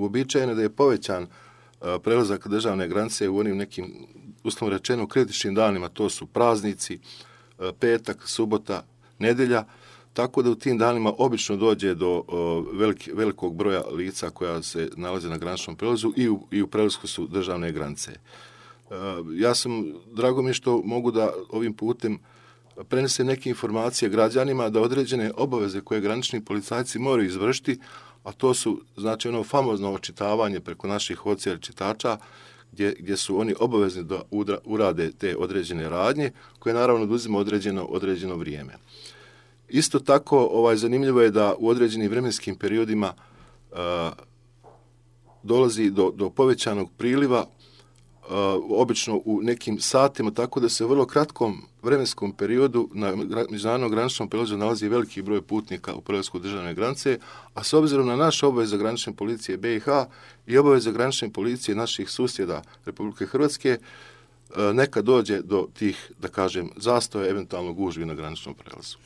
Uobičajeno da je povećan prelazak državne granice u onim nekim, uslovno rečeno, kritičnim danima, to su praznici, petak, subota, nedjelja, tako da u tim danima obično dođe do velikog broja lica koja se nalaze na graničnom prelazu i u prelasku su državne granice. Drago mi je što mogu da ovim putem prenesem neke informacije građanima da određene obaveze koje granični policajci moraju izvršiti, a to su, znači, ono famozno očitavanje preko naših odsjera čitača, gdje su oni obavezni da urade te određene radnje, koje naravno oduzima određeno vrijeme. Isto tako, zanimljivo je da u određenim vremenskim periodima dolazi do povećanog priliva, obično u nekim satima, tako da se u vrlo kratkom vremenskom periodu na međunarodnom graničnom prelazu nalazi veliki broj putnika u prelasku državne granice, a s obzirom na naše obaveze granične policije BiH i obaveze granične policije naših susjeda Republike Hrvatske, neka dođe do tih, da kažem, zastoja, eventualno gužvi na graničnom prelazu.